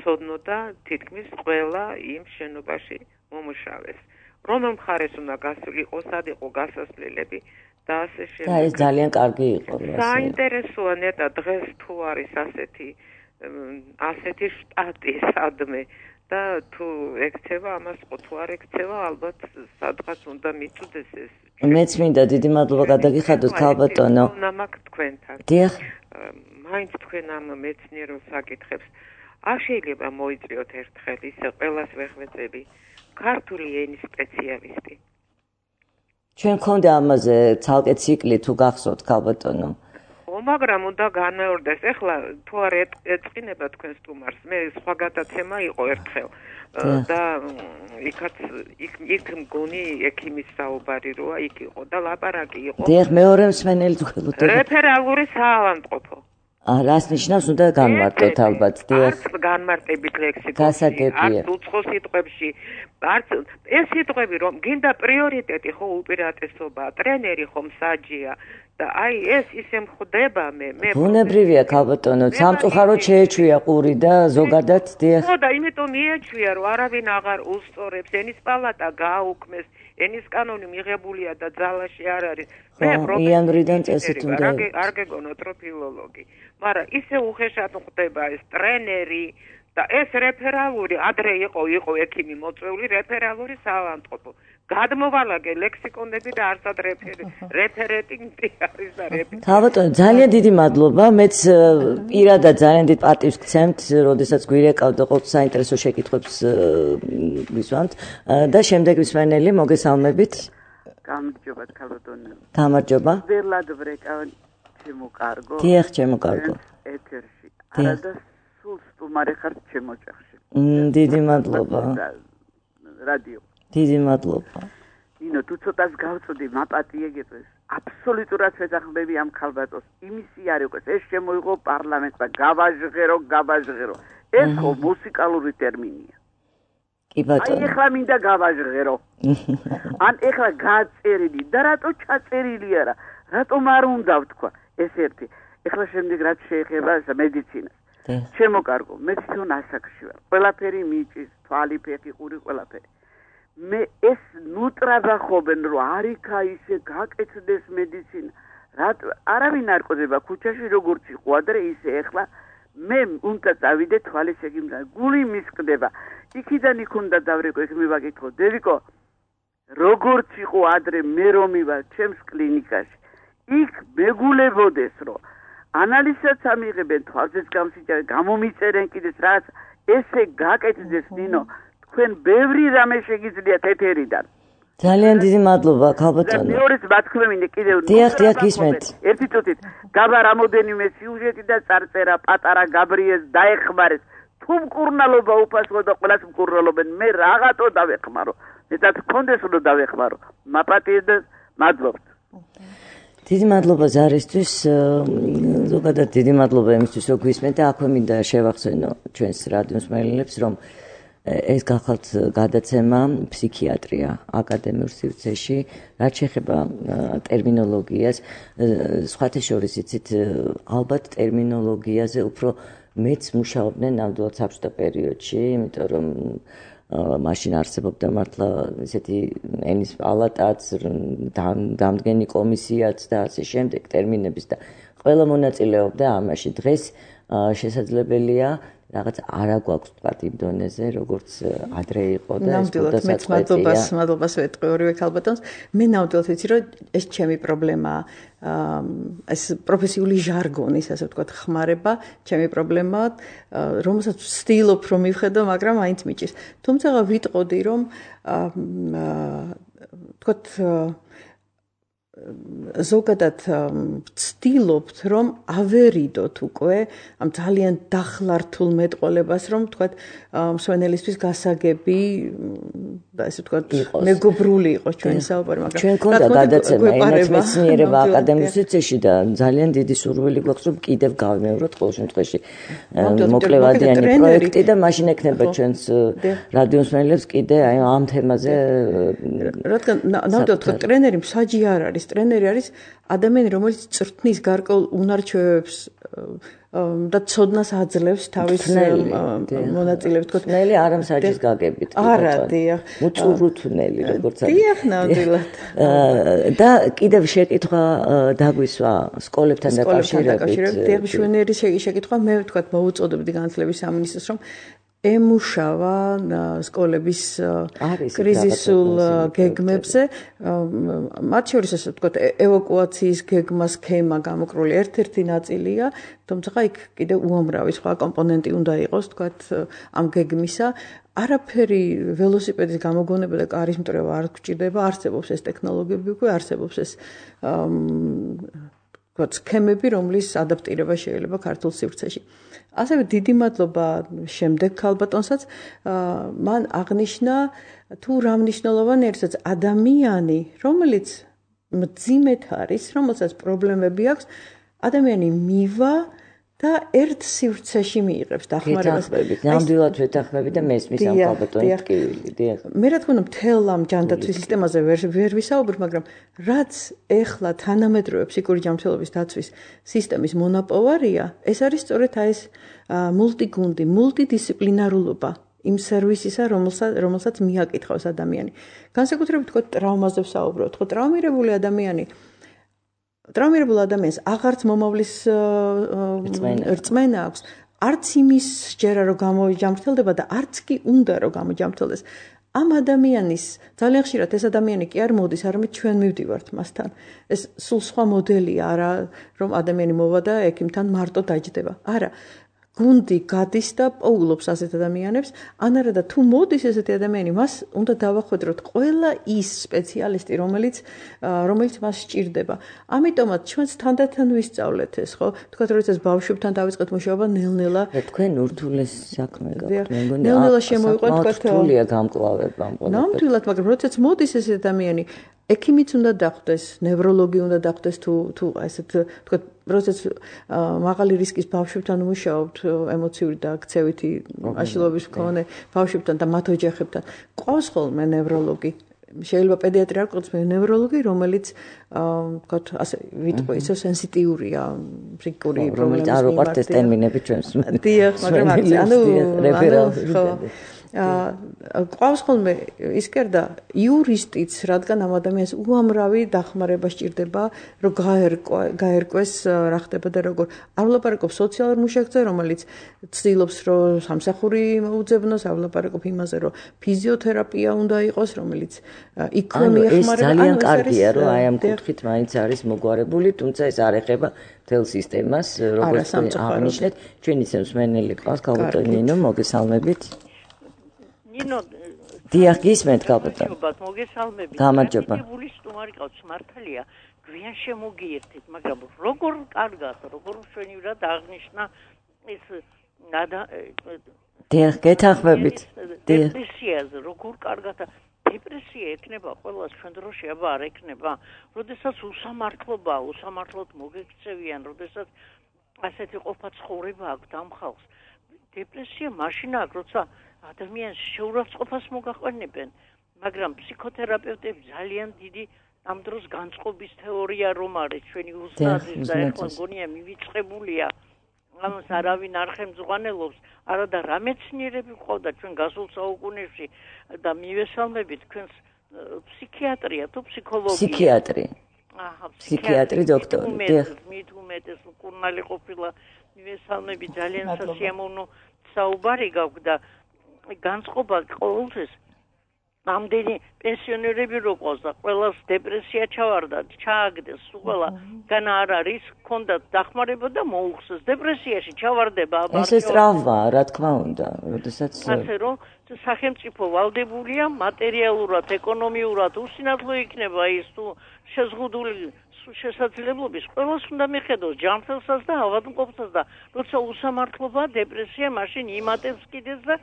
ცოდნოდა თითქმის ყველა იმ შენობაში მომუშავეს. რომელ მხარეს უნდა გასულიყო, სად იყო გასასვლელები და ასე შემდეგ. და ეს ძალიან კარგი იყო. საინტერესოა ნეტა დღეს თუ არის ასეთი შტატი სადმე და თუ ექცევა ამას ხო თუ არ ექცევა ალბათ სადღაც უნდა მიწუდეს ეს. მეც მინდა დიდი მადლობა გადაგიხადოთ ქალბატონო. ნამაკ თქვენთან. დიახ. მაინც თქვენ ამ მეცნიერულ საკითხებს არ შეიძლება მოიწვიოთ ერთხელ ისე ყველას ვეხვეწები ქართული ენის სპეციალისტი. ჩვენ გქონდა ამაზე ცალკე ციკლი თუ გახსოვთ ქალბატონო. მაგრამ უნდა განმეორდეს. ეხლა თუ არ ეწყინება თქვენ სტუმარს, მე სხვა გადაცემა იყო ერთხელ და იქ მგონი ექიმის საუბარი როა იქ იყო და ლაპარაკი იყო. დიახ, მეორე მსმენელი თქვენ. რეფერალური საავადმყოფო. რას ნიშნავს უნდა განმარტოთ ალბათ. დიახ. არც განმარტებით ლექსიკონში, არც უცხო სიტყვებში, არც ეს სიტყვები რომ გინდა პრიორიტეტი ხო უპირატესობა, ტრენერი ხო მსაჯია. და აი ეს ისე მხდება მე ბუნებრივია ქალბატონო, სამწუხაროდ შეეჩვია ყური და ზოგადად დიახ. ხო და იმიტომ მიეჩვია რომ არავინ აღარ უსწორებს, ენის პალატა გააუქმეს, ენის კანონი მიღებულია და ძალაში არ არის. მე იანვრიდან წესით უნდა არ გეგონოთ რომ ფილოლოგი, მაგრამ ისე უხეშად ხდება ეს ტრენერი და ეს რეფერალური ადრე იყო ექიმი მოწვეული რეფერალური საავადმყოფო. გადმოვალაგე ლექსიკონები და არსად რეფერენტი არის და რეფერენტი. ქალბატონო, ძალიან დიდი მადლობა. მეც პირადად ძალიან დიდ პატივს გცემთ, როდესაც გვირეკავდა ყოველ საინტერესო შეკითხვებს ვისვამთ და შემდეგ მსმენელი მოგესალმებით. გამარჯობა ქალბატონო. გამარჯობა. ველად ვრეკავ ჩემო კარგო. დიახ, ჩემო კარგო. ეთერში. არადა სულ სტუმარი ხარ ჩემო ოჯახში. დიდი მადლობა. რადიო. დიდი მადლობა. ნინო, თუ ცოტას გავწოდი, მაპატიეგებს. აბსოლუტურად ვეძახმები ამ ქალბატონს. იმისი არ იყოს, ეს შემოიღო პარლამენტმა, გავაჟღერო. ეს ხო მუსიკალური ტერმინია. კი ბატონო. აი ეხლა მინდა გავაჟღერო. ან ეხლა გაწერილი და რატო ჩაწერილი არა? რატომ არ უნდა ვთქვა? ეს ერთი. ეხლა შემდეგ რაც შეეხება მედიცინას. ჩემო კარგო, მე თვითონ ასაკში ვარ. ყველაფერი მიჭის, თვალი, ფეხი, ყური, ყველაფერი. მე ეს ნუტრაბა ხობენ რომ არიქა ისე გაკეთდეს მედიცინა. არავინ არ ყოდება ქუჩაში როგორც იყო ადრე ისე ეხლა მე უნდა წავიდე თვალის ექიმთან. გული მისკდება. იქიდან იქ უნდა დავრეკო, ეგ მივაკითხო. დევიკო, როგორც იყო ადრე მე რომ მივარ ჩემს კლინიკაში. იქ მეგულებოდეს რომ ანალიზსაც ამიღებენ, თვალზეც გამსიჯავენ, გამომიწერენ კიდეც რაც ესე გაკეთდეს ნინო. თქვენ ბევრი რამე შეგიძლიათ ეთერიდან. ძალიან დიდი მადლობა ქალბატონო. მეორეს ბათქმევინე კიდევ. დიახ, გისმენთ. ერთი წუთით. გაბა რამოდენიმე სიუჟეტი და წარწერა პატარა გაბრიელს დაეხმარეს. თუ მკურნალობა უფასო და ყველას მკურნალობენ, მე რაღაცო დავეხმარო. მეტად გქონდეს რომ დავეხმარო. მაპატიე და მადლობთ. დიდი მადლობა ზარისთვის, ზოგადად დიდი მადლობა იმისთვის, რომ გვისმენთ და აქვე მინდა შევახსენო ჩვენს რადიოს მსმენელებს, რომ ეს გახალთ გადაცემა ფსიქიატრია აკადემიურ სივრცეში, რაც შეეხება ტერმინოლოგიას, სხვათა შორის იცით, ალბათ ტერმინოლოგიაზე უფრო მეც მუშაობდნენ ნამდვილად საბჭოთა პერიოდში, იმიტომ რომ მაშინ არსებობდა მართლა ესეთი ენის პალატაც, დამდგენი კომისიაც და ასე შემდეგ ტერმინების და ყველა მონაწილეობდა ამაში. დღეს შესაძლებელია რაღაც არა გვაქვს თქვა იმ დონეზე, როგორც ადრე იყო და ეს ნამდვილად მადლობას ვეტყვი ორივე ქალბატონს. მე ნამდვილად ვიცი, რომ ეს ჩემი პრობლემაა. ეს პროფესიული ჟარგონის, ასე ვთქვათ, ხმარება, ჩემი პრობლემაა, რომელსაც ვცდილობ რომ მივხედო, მაგრამ აინც მიჭირს. თუმცა ვიტყოდი, რომ ვთქვათ ზოგადად ვცდილობთ, რომ ავერიდოთ უკვე ამ ძალიან დახლართულ მეტყოლებას, რომ ვთქვათ, მსვენელისთვის გასაგები და ესე ვთქვათ, მეგობრული იყოს ჩვენი საუბარი, მაგრამ ჩვენ ქონდა გადაცემა ენათმეცნიერება აკადემიურ სივრცეში და ძალიან დიდი სურვილი გვაქვს, რომ კიდევ გავიმეოროთ ყოველ შემთხვევაში მოკლევადიანი პროექტი და მაშინ ექნება ჩვენს რადიო მსმენელებს კიდე აი ამ თემაზე. რადგან ნამდვილად თქვა ტრენერი მსაჯი არ არის. ტრენერი არის ადამიანი, რომელიც წრთნის გარკვეულ უნარჩვევებს და ცოდნას აძლევს თავის მონაწილეებს. თნელი არა მსაჯის გაგებით. არა, დიახ. უწურუთნელი, როგორც არის. დიახ, ნამდვილად. და კიდევ შეკითხვა დაგვისვა სკოლებთან დაკავშირებით. დიახ, მშვენიერი შეკითხვა, მე ვთქვათ, მოვუწოდებდი განათლების სამინისტროს, რომ ემუშავა სკოლების კრიზისულ გეგმებზე, მათ შორის ასე ვთქვათ, ევაკუაციის გეგმა, სქემა გამოკრული ერთ-ერთი ნაწილია, თუმცა იქ კიდევ უამრავი სხვა კომპონენტი უნდა იყოს, ვთქვათ, ამ გეგმისა. არაფერი ველოსიპედის გამოგონება და კარის მტრევა არ გვჭირდება, არსებობს ეს ტექნოლოგიები, უკვე არსებობს ეს ვთქვათ, სქემები, რომლის ადაპტირება შეიძლება ქართულ სივრცეში. ასევე დიდი მადლობა შემდეგ ქალბატონსაც, მან აღნიშნა თუ რა მნიშვნელოვანი არის ადამიანი, რომელიც მძიმედ არის, რომელსაც პრობლემები აქვს, ადამიანი მივა და ერთ სივრცეში მიიღებს დახმარებას. ნამდვილად ვეთანხმები და მესმის ამ ქალბატონის ტკივილი. დიახ. მე რა თქმა უნდა მთელ ამ ჯანდაცვის სისტემაზე ვერ ვისაუბრებ, მაგრამ რაც ეხლა თანამედროვე ფსიქიკური ჯანმრთელობის დაცვის სისტემის მონაპოვარია, ეს არის სწორედ ეს მულტიგუნდი, მულტიდისციპლინარულობა იმ სერვისისა, რომელსაც მიაკითხავს ადამიანი. განსაკუთრებით თქო ტრავმაზე ვსაუბრობ, თქო ტრავმირებული ადამიანი ტრაუმირებულ ადამიანს აღარც მომავლის რწმენა აქვს, არც იმის სჯერა რომ გამოიჯამრთელდება და არც კი უნდა რომ გამოიჯამრთელდეს. ამ ადამიანის ძალიან ხშირად ეს ადამიანი კი არ მოდის, არამედ ჩვენ მივდივართ მასთან. ეს სულ სხვა მოდელია, არა რომ ადამიანი მოვა და ექიმთან მარტო დაჯდება. არა. გუნდი გადის და პოულობს ასეთ ადამიანებს, ან არა და თუ მოდის ესეთი ადამიანი, მას უნდა დავახვედროთ ყველა ის სპეციალისტი, რომელიც მას სჭირდება. ამიტომაც ჩვენს თანდათან ვისწავლეთ ეს, ხო? თქვათ, როდესაც ბავშვებთან დავიწყეთ მუშაობა, ნელ-ნელა თქვენ ურთულეს საქმე გაქვთ. მე მგონი ნელ-ნელა შემოიყვეთ, თქვათ, რთულია გამკლავება ამ ყველაფერს. ნამდვილად, მაგრამ როდესაც მოდის ეს ადამიანი, ექიმიც უნდა დახვდეს, ნევროლოგი უნდა დახვდეს თუ ესეთ თქვათ, როდესაც მაღალი რისკის ბავშვებთან მუშაობთ, ემოციური და ქცევითი აშლილობის მქონე ბავშვებთან და მათ ოჯახებთან, ყავს ხოლმე ნევროლოგი. შეიძლება პედიატრი არ ყავს, ნევროლოგი, რომელიც თქვათ, ასე ვიტყვი, ისე სენსიტიურია ფსიქიკური პრობლემების მიმართ. რომელიც არ უყვართ ეს ტერმინები ჩვენს. დიახ, მაგრამ ყავს ხოლმე ის კერდა იურისტიც, რადგან ამ ადამიანს უამრავი დახმარება სჭირდება, რომ გაერკვეს რა ხდება და როგორ. არ ვლაპარაკობ სოციალურ მუშაკზე, რომელიც ცდილობს, რომ სამსახური მოუძებნოს, არ ვლაპარაკობ იმაზე, რომ ფიზიოთერაპია უნდა იყოს, რომელიც იქვე მიეხმარება. ეს ძალიან კარგია, რომ აი ამ კუთხით მაინც არის მოგვარებული, თუმცა ეს არ ეხება მთელ სისტემას, როგორც აღნიშნეთ, ჩვენი მსმენელი ყავს, ქალბატონი ნინო, მოგესალმებით. ნინო, დიახ, გისმენთ ქალბატონო. მოგესალმებით. გამარჯობა. გული სტუმარი ყავს, მართალია, გვიან შემოგიერთეთ, მაგრამ როგორ კარგად, როგორ მშვენივრად აღნიშნა ეს დიახ, გეთანხმებით. დეპრესიაზე, როგორ კარგად დეპრესია ექნება ყველას ჩვენ დროში, აბა არ ექნება. როდესაც უსამართლოდ მოგექცევიან, როდესაც ასეთი ყოფა ცხოვრება აქვს ამ ხალხს. დეპრესია მაშინ აქვს, როცა ადამიანს შეურაცხყოფას მოგაყვანებენ, მაგრამ ფსიქოთერაპევტები ძალიან დიდი ამ დროს განწყობის თეორია რომ არის ჩვენი უსწრაფის და ეხლა გონია მივიწყებულია. ამას არავინ არ ხელმძღვანელობს, არადა რა მეცნიერები ყავდა ჩვენ გასულ საუკუნეში და მივესალმებით თქვენს ფსიქიატრია თუ ფსიქოლოგია. ფსიქიატრი დოქტორი. მით უმეტეს კურნალი ყოფილა მივესალმებით ძალიან სასიამოვნო საუბარი გაქვს და განწყობა ყოველთვის ამდენი პენსიონერები რო ყავს და ყველას დეპრესია ჩავარდა, ჩააგდეს, ყველა განა არ არის, ჰქონდათ დახმარება და მოუხსეს დეპრესიაში ჩავარდება. ეს ტრავმაა, რა თქმა უნდა, როდესაც ასე რომ სახელმწიფო ვალდებულია მატერიალურად, ეკონომიურად უსინათლო იქნება ის თუ შეზღუდული შესაძლებლობის ყველას უნდა მიხედოს ჯანმრთელსაც და ავადმყოფსაც და როცა უსამართლობაა დეპრესია მაშინ იმატებს კიდეც და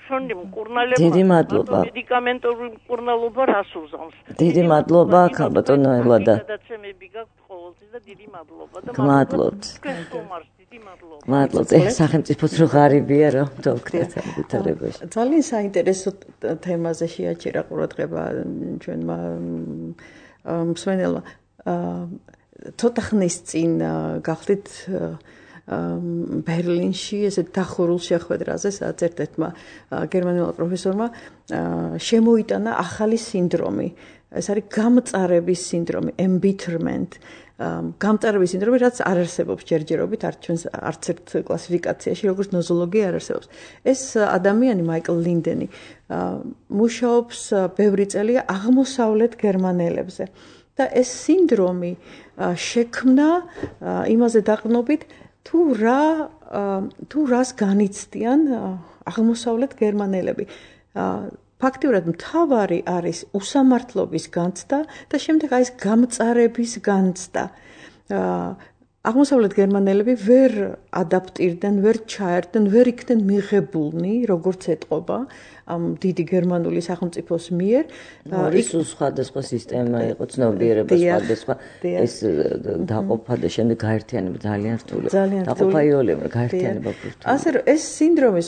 ჩვენი მკურნალობა მედიკამენტური მკურნალობა რას უზამს. დიდი მადლობა ქალბატონო ელადა. გადაცემები გაქვთ ყოველთვის და დიდი მადლობა და მადლობთ. დიდი მადლობა. მადლობთ. სახელმწიფოც რო ღარიბია რა დოქტორ ვითარებაში. ძალიან საინტერესო თემაზე შეაჩერა ყურადღება ჩვენმა მსმენელმა. ცოტა ხნის წინ გახდით ბერლინში ესეთ დახურულ შეხვედრაზე, სადაც ერთ-ერთმა გერმანულმა პროფესორმა შემოიტანა ახალი სინდრომი. ეს არის გამწარების სინდრომი, embitterment. გამწარების სინდრომი, რაც არ არსებობს ჯერჯერობით არც ერთ კლასიფიკაციაში, როგორც ნოზოლოგია არ არსებობს. ეს ადამიანი მაიკლ ლინდენი მუშაობს ბევრი წელია აღმოსავლეთ გერმანელებზე. და ეს სინდრომი შექმნა იმაზე დაყრდნობით თუ რას განიცდიან აღმოსავლეთ გერმანელები. ფაქტიურად მთავარი არის უსამართლობის განცდა და შემდეგ არის გამწარების განცდა. აღმოსავლეთ გერმანელები ვერ ადაპტირდნენ, ვერ ჩაერთდნენ, ვერ იქნენ მიღებულნი, როგორც ეტყობა ამ დიდი გერმანული სახელმწიფოს მიერ. ის სხვადასხვა სისტემა იყო, ცნობიერება სხვადასხვა, ეს დაყოფა და შემდეგ გაერთიანება ძალიან რთულია. დაყოფა იოლება, გაერთიანება რთულია. ასე რომ ეს სინდრომი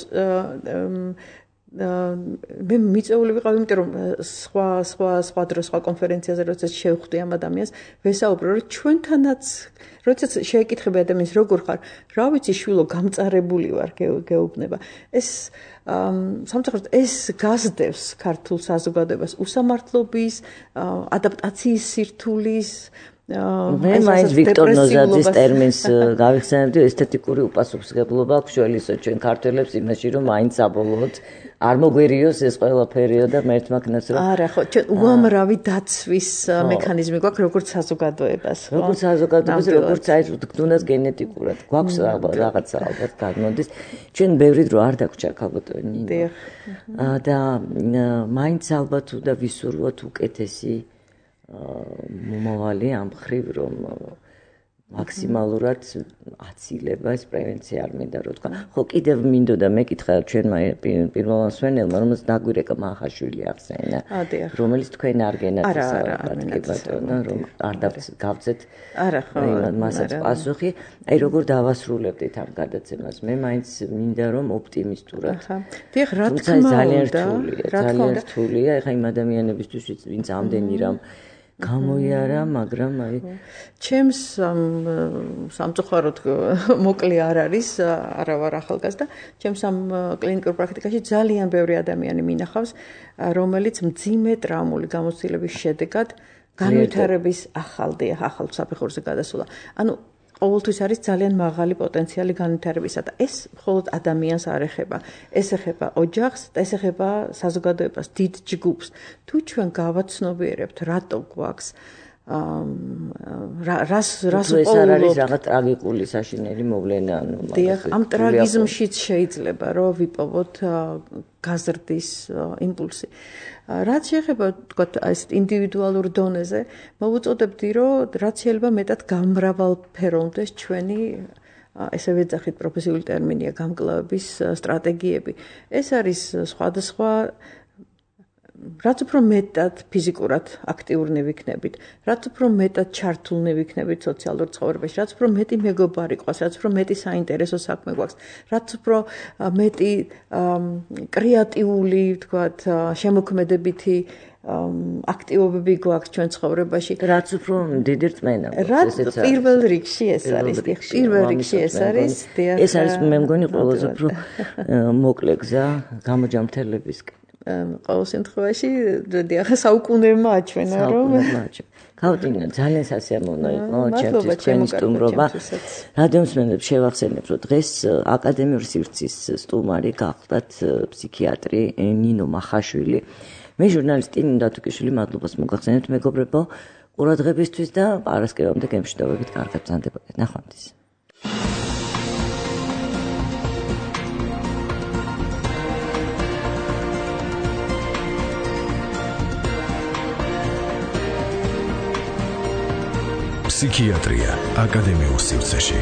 მე მიწეული ვიყავ, იმიტომ რომ სხვა დროს სხვა კონფერენციაზე როდესაც შევხვდი ამ ადამიანს, ვესაუბრო, რომ ჩვენთანაც როდესაც შეეკითხები ადამიანს როგორ ხარ, რა ვიცი შვილო, გამწარებული ვარ, გეუბნება. ეს სამწუხაროდ ეს გასდევს ქართულ საზოგადოებას უსამართლობის, ადაპტაციის სირთულის მე მაინც ვიქტორ ნოზაძის ტერმინს გავიხსენებდი, ესთეტიკური უპასუხისმგებლობა აქვს შველისო ჩვენ ქართველებს იმაში, რომ მაინც საბოლოოდ არ მოგვერიოს ეს ყველაფერი და მერთმაკნას რომ არა ხო, ჩვენ უამრავი დაცვის მექანიზმი გვაქვს როგორც საზოგადოებას, ხო? როგორც საზოგადოებას, როგორც აი თუნდაც გენეტიკურად გვაქვს რაღაცა ალბათ გადმოდის. ჩვენ ბევრი დრო არ დაგვჭირ ქალბატონი. და მაინც ალბათ უნდა ვისურვოთ უკეთესი მომავალი ამ ხრივ რომ მაქსიმალურად აცილება ეს პრევენცია არ მინდა რომ თქვა. ხო კიდევ მინდოდა მეკითხა ჩვენმა პირველ მსმენელმა რომელსაც დაგვირეკა მახაშვილი ახსენა რომელიც თქვენ არ გენათესავებთ რომ არ გავცეთ მასაც პასუხი აი როგორ დავასრულებდით ამ გადაცემას მე მაინც მინდა რომ ოპტიმისტურად დიახ რა თქმა უნდა ძალიან რთულია ეხა იმ ადამიანებისთვის ვინც ამდენი რამ გამოიარა, მაგრამ აი ჩემს სამწუხაროდ მოკლე არ არის, არა ვარ ახალგაზრდა, ჩემს ამ კლინიკურ პრაქტიკაში ძალიან ბევრი ადამიანი მინახავს, რომელიც მძიმე ტრაუმული გამოცდილების შედეგად განვითარების ახალ საფეხურზე გადასულა. ანუ ყოველთვის არის ძალიან მაღალი პოტენციალი განვითარებისა და ეს მხოლოდ ადამიანს არ ეხება. ეს ეხება ოჯახს და ეს ეხება საზოგადოებას, დიდ ჯგუფს. თუ ჩვენ გავაცნობიერებთ, რატო გვაქვს რას ეს არ არის რაღაც ტრაგიკული საშინელი მოვლენა, ანუ დიახ, ამ ტრაგიზმშიც შეიძლება რომ ვიპოვოთ გაზრდის იმპულსი. რაც შეეხება თქვათ ეს ინდივიდუალურ დონეზე, მოვუწოდებდი რომ რაც შეიძლება მეტად გამრავალფეროვნდეს ჩვენი ესე ვეძახით პროფესიული ტერმინია გამკლავების სტრატეგიები. ეს არის სხვადასხვა რაც უფრო მეტად ფიზიკურად აქტიურნი ვიქნებით, რაც უფრო მეტად ჩართულნი ვიქნებით სოციალურ ცხოვრებაში, რაც უფრო მეტი მეგობარი ყავს, რაც უფრო მეტი საინტერესო საქმე გვაქვს, რაც უფრო მეტი კრეატიული, ვთქვათ, შემოქმედებითი აქტივობები გვაქვს ჩვენ ცხოვრებაში, რაც უფრო დიდი რწმენა გვაქვს, პირველ რიგში ეს არის, პირველ რიგში ეს არის, ეს არის მე მგონი ყველაზე უფრო მოკლე გზა გამოჯამრთელებისკენ. ყოველ შემთხვევაში, დიახ, საუკუნეებმა აჩვენა, რომ გავტინა ძალიან სასიამოვნო იყო ჩემთვის თქვენი სტუმრობა. რადიომსმენელებს შევახსენებთ, რომ დღეს აკადემიური სივრცის სტუმარი გახლდათ ფსიქიატრი ნინო მახაშვილი. მე ჟურნალისტი ნინო დათუკიშვილი, მადლობას მოგახსენებთ მეგობრებო ყურადღებისთვის და პარასკევამდე გემშვიდობებით, კარგად ბრძანდებოდეთ. ნახვამდის. ფსიქიატრია აკადემიურ სივრცეში.